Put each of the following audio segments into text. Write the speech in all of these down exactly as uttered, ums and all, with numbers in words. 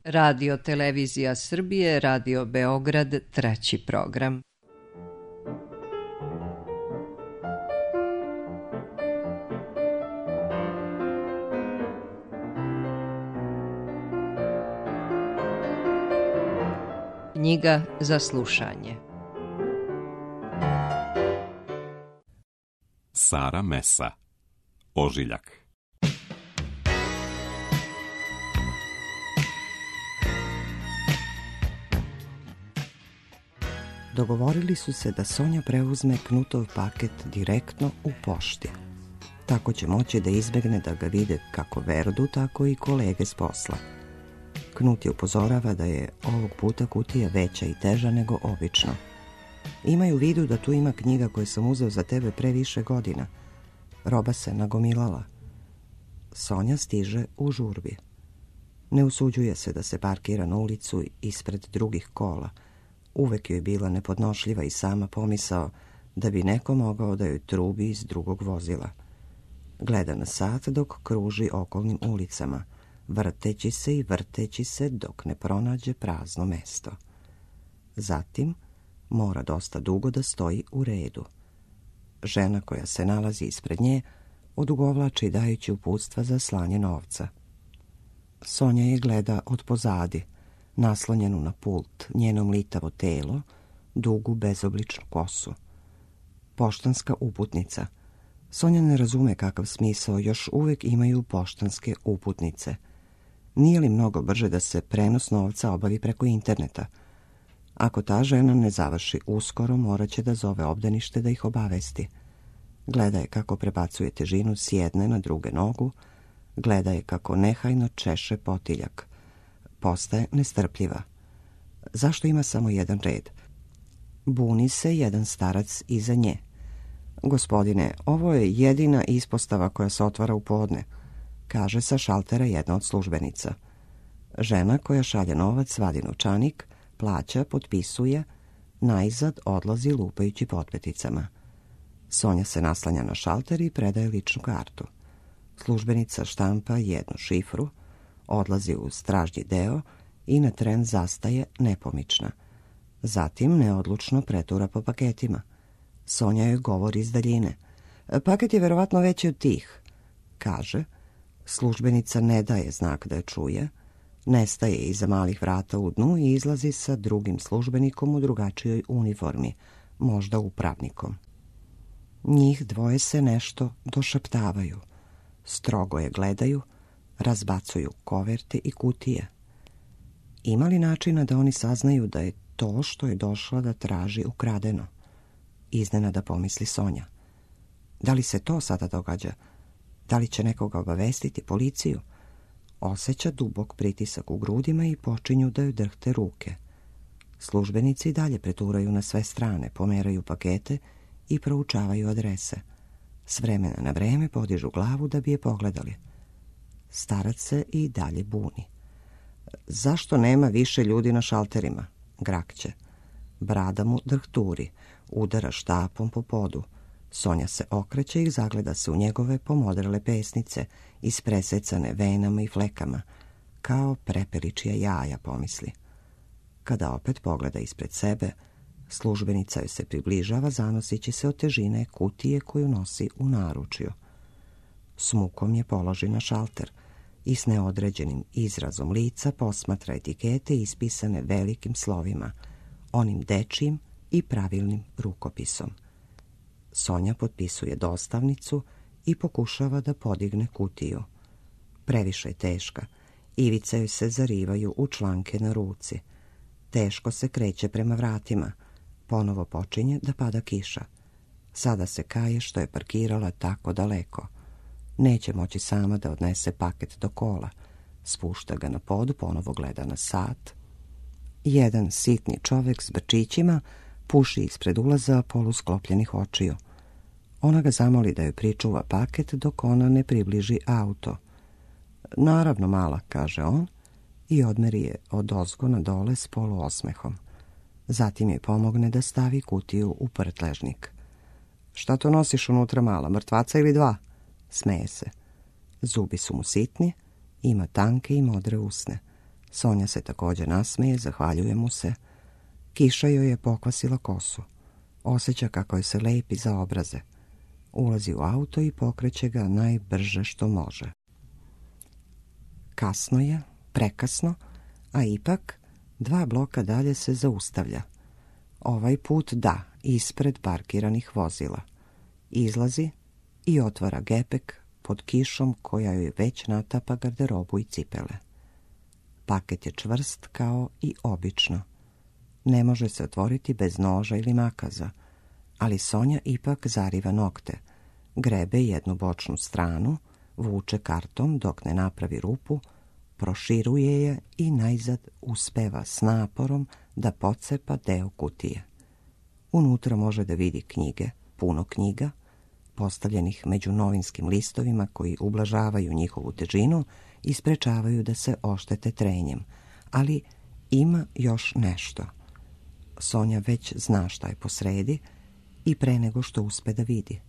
Radio Televizija Srbije, Radio Beograd, treći program. Knjiga za slušanje. Sara Mesa, Ožiljak. Dogovorili su se da Sonja preuzme Knutov paket direktno u pošti. Tako će moći da izbegne da ga vide kako Verdu, tako i kolege s posla. Knut je upozorava da je ovog puta kutija veća i teža nego obično. Imaj u vidu da tu ima knjiga koju sam uzeo za tebe pre više godina. Roba se nagomilala. Sonja stiže u žurbi. Ne usuđuje se da se parkira na ulicu ispred drugih kola. Uvek joj je bila nepodnošljiva i sama pomisao da bi neko mogao da joj trubi iz drugog vozila. Gleda na sat dok kruži okolnim ulicama, vrteći se i vrteći se dok ne pronađe prazno mesto. Zatim mora dosta dugo da stoji u redu. Žena koja se nalazi ispred nje odugovlači dajući uputstva za slanje novca. Sonja je gleda od pozadi, naslonjenu na pult, njeno mlitavo telo, dugu bezobličnu kosu. Poštanska uputnica. Sonja ne razume kakav smisao još uvek imaju poštanske uputnice. Nije li mnogo brže da se prenos novca obavi preko interneta? Ako ta žena ne završi uskoro, morat će da zove obdanište da ih obavesti. Gleda je kako prebacuje težinu s jedne na druge nogu, gleda je kako nehajno češe potiljak. Postaje nestrpljiva. Zašto ima samo jedan red? Buni se jedan starac iza nje. Gospodine, ovo je jedina ispostava koja se otvara u podne, kaže sa šaltera jedna od službenica. Žena koja šalje novac vadi novčanik, plaća, potpisuje, najzad odlazi lupajući potpeticama. Sonja se naslanja na šalter i predaje ličnu kartu. Službenica štampa jednu šifru, odlazi u stražnji deo i na tren zastaje nepomična. Zatim neodlučno pretura po paketima. Sonja joj govori iz daljine. Paket je verovatno veći od tih, kaže. Službenica ne daje znak da je čuje, nestaje iza malih vrata u dnu i izlazi sa drugim službenikom u drugačijoj uniformi, možda upravnikom. Njih dvoje se nešto došaptavaju, strogo je gledaju, razbacuju koverte i kutije. Ima li načina da oni saznaju da je to što je došla da traži ukradeno? Iznenada pomisli Sonja. Da li se to sada događa? Da li će nekoga obavestiti, policiju? Osjeća dubok pritisak u grudima i počinju da joj drhte ruke. Službenici dalje preturaju na sve strane, pomeraju pakete i proučavaju adrese. S vremena na vreme podižu glavu da bi je pogledali. Starac se i dalje buni. Zašto nema više ljudi na šalterima? Grakće. Brada mu drhturi, udara štapom po podu. Sonja se okreće i zagleda se u njegove pomodrele pesnice, ispresecane venama i flekama, kao prepeličija jaja, pomisli. Kada opet pogleda ispred sebe, službenica joj se približava, zanosići se od težine kutije koju nosi u naručju. S mukom je položi na šalter i s neodređenim izrazom lica posmatra etikete ispisane velikim slovima, onim dečijim i pravilnim rukopisom. Sonja potpisuje dostavnicu i pokušava da podigne kutiju. Previše je teška, ivice joj se zarivaju u članke na ruci. Teško se kreće prema vratima, ponovo počinje da pada kiša. Sada se kaje što je parkirala tako daleko. Neće moći sama da odnese paket do kola. Spušta ga na pod, ponovo gleda na sat. Jedan sitni čovek s brčićima puši ispred ulaza polusklopljenih očiju. Ona ga zamoli da joj pričuva paket dok ona ne približi auto. Naravno, mala, kaže on i odmeri je od ozgo na dole s poluosmehom. Zatim joj pomogne da stavi kutiju u prtležnik. Šta to nosiš unutra, mala, mrtvaca ili dva? Smeje se. Zubi su mu sitni, ima tanke i modre usne. Sonja se također nasmeje, zahvaljuje mu se. Kiša joj je pokvasila kosu. Osjeća kako joj se lepi za obraze. Ulazi u auto i pokreće ga najbrže što može. Kasno je, prekasno, a ipak dva bloka dalje se zaustavlja. Ovaj put da, ispred parkiranih vozila. Izlazi i otvara gepek pod kišom koja joj već natapa garderobu i cipele. Paket je čvrst kao i obično. Ne može se otvoriti bez noža ili makaza, ali Sonja ipak zariva nokte, grebe jednu bočnu stranu, vuče karton dok ne napravi rupu, proširuje je i najzad uspeva s naporom da pocepa deo kutije. Unutra može da vidi knjige, puno knjiga, postavljenih među novinskim listovima koji ublažavaju njihovu težinu i sprečavaju da se oštete trenjem, ali ima još nešto. Sonja već zna šta je posredi i pre nego što uspe da vidi.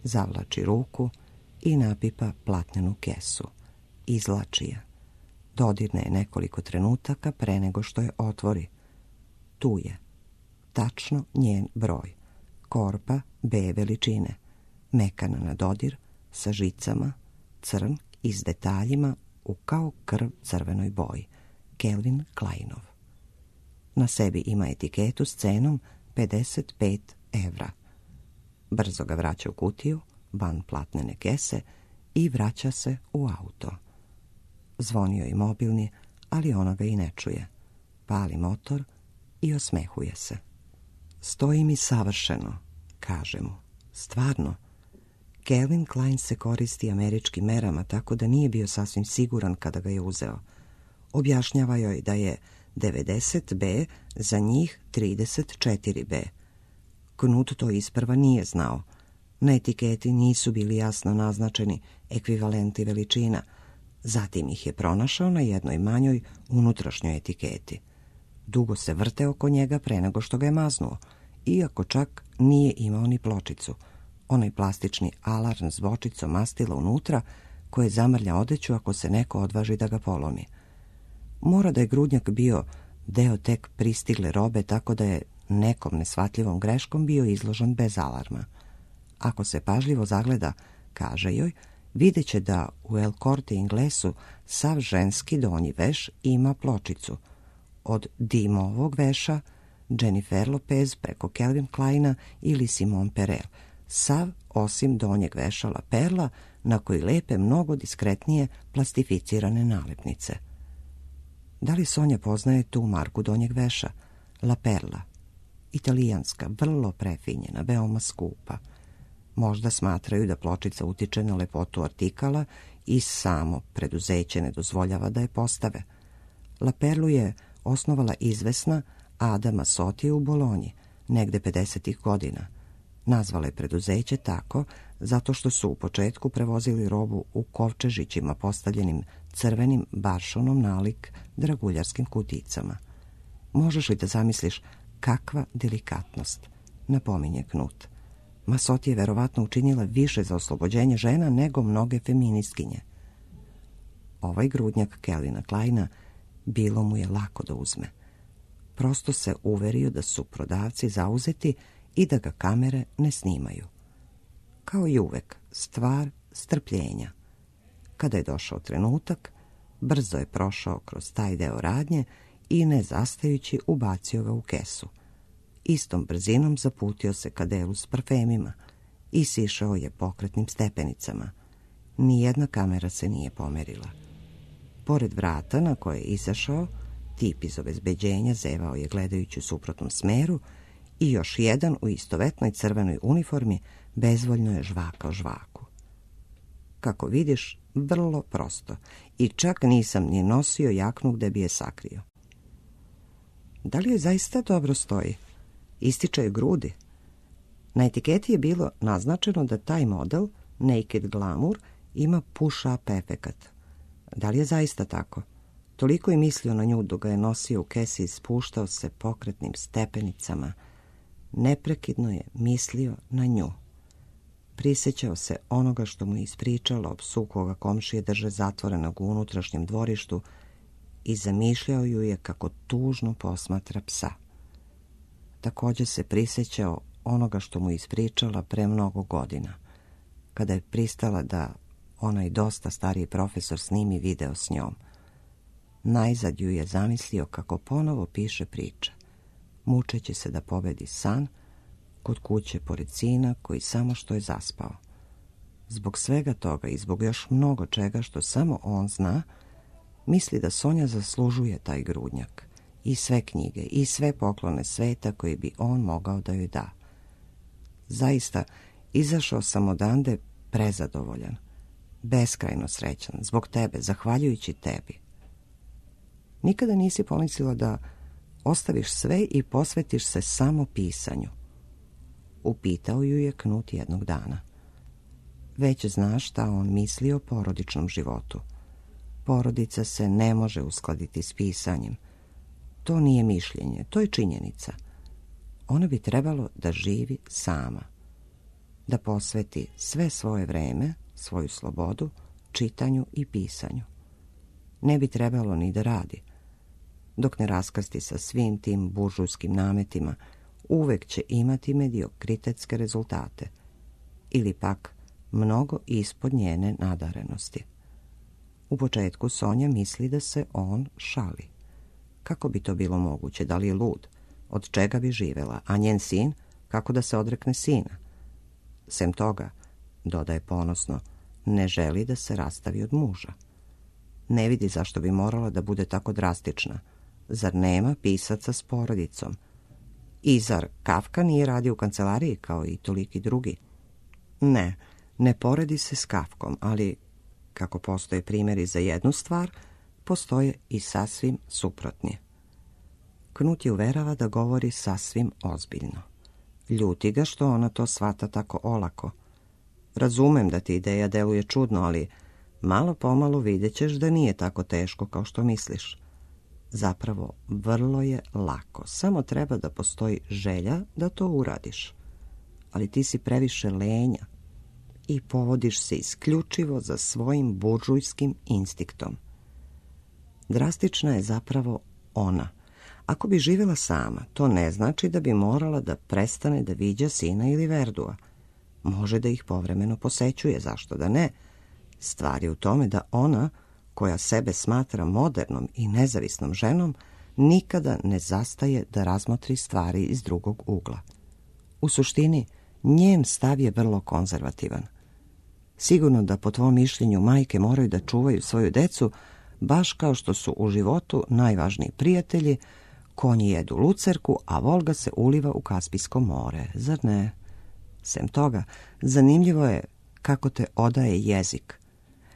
Zavlači ruku i napipa platnenu kesu. Izlači je. Dodirne je nekoliko trenutaka pre nego što je otvori. Tu je. Tačno njen broj. Korpa B veličine. Mekana na dodir, sa žicama, crn i s detaljima u kao krv crvenoj boji. Calvin Kleinov. Na sebi ima etiketu s cenom pedeset pet evra. Brzo ga vraća u kutiju, van platnene kese i vraća se u auto. Zvonio je mobilni, ali ona ga i ne čuje. Pali motor i osmehuje se. Stoji mi savršeno, kaže mu. Stvarno. Calvin Klein se koristi američkim merama, tako da nije bio sasvim siguran kada ga je uzeo. Objašnjava joj da je devedeset be za njih trideset četiri be. Knut to isprva nije znao. Na etiketi nisu bili jasno naznačeni ekvivalenti veličina, zatim ih je pronašao na jednoj manjoj unutrašnjoj etiketi. Dugo se vrte oko njega pre nego što ga je maznuo, iako čak nije imao ni pločicu, onaj plastični alarm s bočicom mastila unutra koje zamrlja odeću ako se neko odvaži da ga polomi. Mora da je grudnjak bio deo tek pristigle robe, tako da je nekom nesvatljivom greškom bio izložen bez alarma. Ako se pažljivo zagleda, kaže joj, vidjet će da u El Corte Inglesu sav ženski donji veš ima pločicu. Od Dimovog veša, Jennifer Lopez preko Calvin Kleina ili Simone Perel, sav osim donjeg veša La Perla na koji lepe mnogo diskretnije plastificirane nalepnice. Da li Sonja poznaje tu marku donjeg veša? La Perla. Italijanska, vrlo prefinjena, veoma skupa. Možda smatraju da pločica utiče na lepotu artikala i samo preduzeće ne dozvoljava da je postave. La Perlu je osnovala izvesna Ada Masoti u Bolonji, negde pedesetih godina. Nazvala je preduzeće tako zato što su u početku prevozili robu u kovčežićima postavljenim crvenim baršonom nalik draguljarskim kuticama. Možeš li da zamisliš kakva delikatnost, napominje Knut. Masoti je verovatno učinila više za oslobođenje žena nego mnoge feministkinje. Ovaj grudnjak Calvina Kleina bilo mu je lako da uzme. Prosto se uverio da su prodavci zauzeti i da ga kamere ne snimaju. Kao i uvek, stvar strpljenja. Kada je došao trenutak, brzo je prošao kroz taj deo radnje i ne zastajući ubacio ga u kesu. Istom brzinom zaputio se ka delu s parfemima i sišao je pokretnim stepenicama. Nijedna kamera se nije pomerila. Pored vrata na koje je izašao, tip iz obezbeđenja zevao je gledajući u suprotnom smeru i još jedan u istovetnoj crvenoj uniformi bezvoljno je žvakao žvaku. Kako vidiš, vrlo prosto, i čak nisam ni nosio jaknu gde bi je sakrio. Da li joj zaista dobro stoji? Ističe joj grudi. Na etiketi je bilo naznačeno da taj model, Naked Glamour, ima push-up efekat. Da li je zaista tako? Toliko je mislio na nju dok ga je nosio u kesi i spuštao se pokretnim stepenicama. Neprekidno je mislio na nju. Prisjećao se onoga što mu je ispričalo o psu koga komšije drže zatvorenog u unutrašnjem dvorištu i zamišljao ju je kako tužno posmatra psa. Također se prisjećao onoga što mu ispričala pre mnogo godina, kada je pristala da onaj dosta stariji profesor snimi video s njom. Najzad ju je zamislio kako ponovo piše priče, mučeći se da pobedi san kod kuće pored sina koji samo što je zaspao. Zbog svega toga i zbog još mnogo čega što samo on zna, misli da Sonja zaslužuje taj grudnjak i sve knjige i sve poklone sveta koji bi on mogao da joj da. Zaista, izašao sam odande prezadovoljan, beskrajno srećan, zbog tebe, zahvaljujući tebi. Nikada nisi pomislila da ostaviš sve i posvetiš se samo pisanju? Upitao ju je Knut jednog dana. Već znaš šta on misli o porodičnom životu. Porodica se ne može uskladiti s pisanjem. To nije mišljenje, to je činjenica. Ona bi trebalo da živi sama, da posveti sve svoje vreme, svoju slobodu, čitanju i pisanju. Ne bi trebalo ni da radi. Dok ne raskrsti sa svim tim buržujskim nametima, uvek će imati mediokritetske rezultate ili pak mnogo ispod njene nadarenosti. U početku Sonja misli da se on šali. Kako bi to bilo moguće? Da li je lud? Od čega bi živela? A njen sin? Kako da se odrekne sina? Sem toga, dodaje ponosno, ne želi da se rastavi od muža. Ne vidi zašto bi morala da bude tako drastična. Zar nema pisaca s porodicom? I zar Kafka nije radio u kancelariji kao i toliki drugi? Ne, ne poredi se s Kafkom, ali kako postoje primjeri za jednu stvar, postoje i sasvim suprotni. Knut je uverava da govori sasvim ozbiljno. Ljuti ga što ona to shvata tako olako. Razumem da ti ideja deluje čudno, ali malo pomalo vidjet ćeš da nije tako teško kao što misliš. Zapravo, vrlo je lako. Samo treba da postoji želja da to uradiš. Ali ti si previše lenja i povodiš se isključivo za svojim buržujskim instiktom. Drastična je zapravo ona. Ako bi živjela sama, to ne znači da bi morala da prestane da viđa sina ili Verdua. Može da ih povremeno posećuje, zašto da ne? Stvar je u tome da ona, koja sebe smatra modernom i nezavisnom ženom, nikada ne zastaje da razmotri stvari iz drugog ugla. U suštini, njen stav je vrlo konzervativan. Sigurno da po tvom mišljenju majke moraju da čuvaju svoju decu, baš kao što su u životu najvažniji prijatelji, konji jedu lucerku, a Volga se uliva u Kaspijsko more, zar ne? Sem toga, zanimljivo je kako te odaje jezik.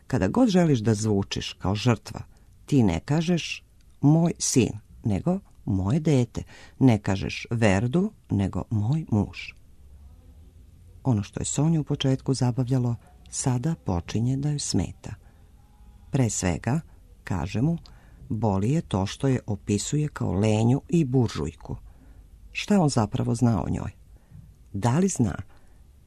Kada god želiš da zvučiš kao žrtva, ti ne kažeš moj sin, nego moje dete. Ne kažeš Verdu, nego moj muž. Ono što je Sonju u početku zabavljalo, sada počinje da ju smeta. Pre svega, kaže mu, boli je to što je opisuje kao lenju i buržujku. Šta on zapravo zna o njoj? Da li zna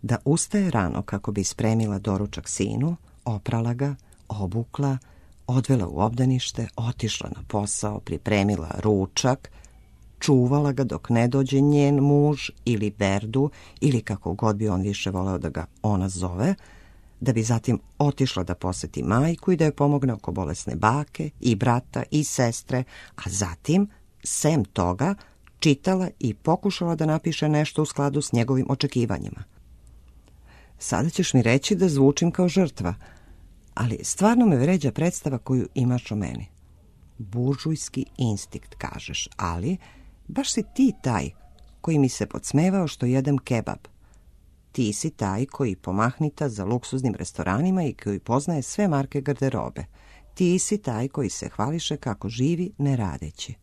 da ustaje rano kako bi spremila doručak sinu, oprala ga, obukla, odvela u obdanište, otišla na posao, pripremila ručak, čuvala ga dok ne dođe njen muž ili Verdu, ili kako god bi on više voleo da ga ona zove, da bi zatim otišla da poseti majku i da joj pomogne oko bolesne bake i brata i sestre, a zatim, sem toga, čitala i pokušala da napiše nešto u skladu s njegovim očekivanjima. Sada ćeš mi reći da zvučim kao žrtva, ali stvarno me vređa predstava koju imaš o meni. Buržujski instinkt, kažeš, ali baš si ti taj koji mi se podsmevao što jedem kebab. Ti si taj koji pomahnita za luksuznim restoranima i koji poznaje sve marke garderobe. Ti si taj koji se hvališe kako živi ne radeći.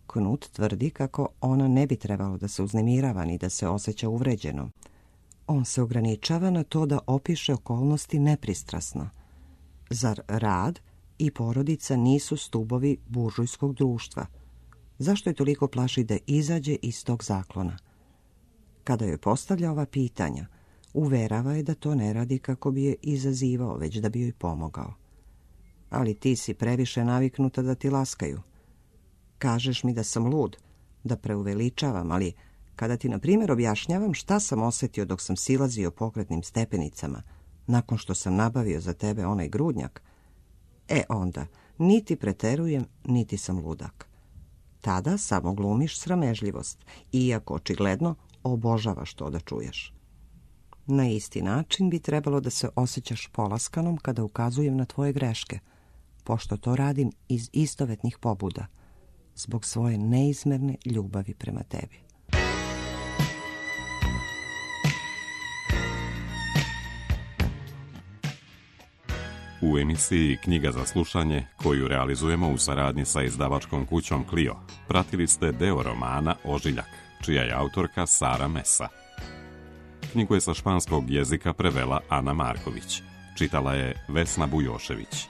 Knut tvrdi kako ona ne bi trebalo da se uznemirava ni da se osjeća uvređenom. On se ograničava na to da opiše okolnosti nepristrasno. Zar rad i porodica nisu stubovi buržujskog društva? Zašto je toliko plaši da izađe iz tog zaklona? Kada joj postavlja ova pitanja, uverava je da to ne radi kako bi je izazivao, već da bi joj pomogao. ali ti si previše naviknuta da ti laskaju. Kažeš mi da sam lud, da preuveličavam, ali kada ti, na primjer, objašnjavam šta sam osjetio dok sam silazio pokretnim stepenicama, nakon što sam nabavio za tebe onaj grudnjak, e onda, niti preterujem, niti sam ludak. Tada samo glumiš sramežljivost, iako očigledno obožavaš to da čuješ. Na isti način bi trebalo da se osjećaš polaskanom kada ukazujem na tvoje greške, pošto to radim iz istovetnih pobuda, zbog svoje neizmerne ljubavi prema tebi. U emisiji Knjiga za slušanje, koju realizujemo u saradnji sa izdavačkom kućom Clio, pratili ste deo romana Ožiljak, čija je autorka Sara Mesa. Knjigu je sa španskog jezika prevela Ana Marković, čitala je Vesna Bujošević.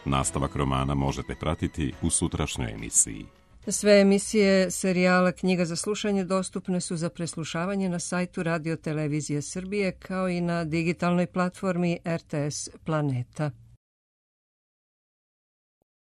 Nastavak romana možete pratiti u sutrašnjoj emisiji. Sve emisije serijala Knjiga za slušanje dostupne su za preslušavanje na sajtu Radio Televizije Srbije kao i na digitalnoj platformi R T S Planeta.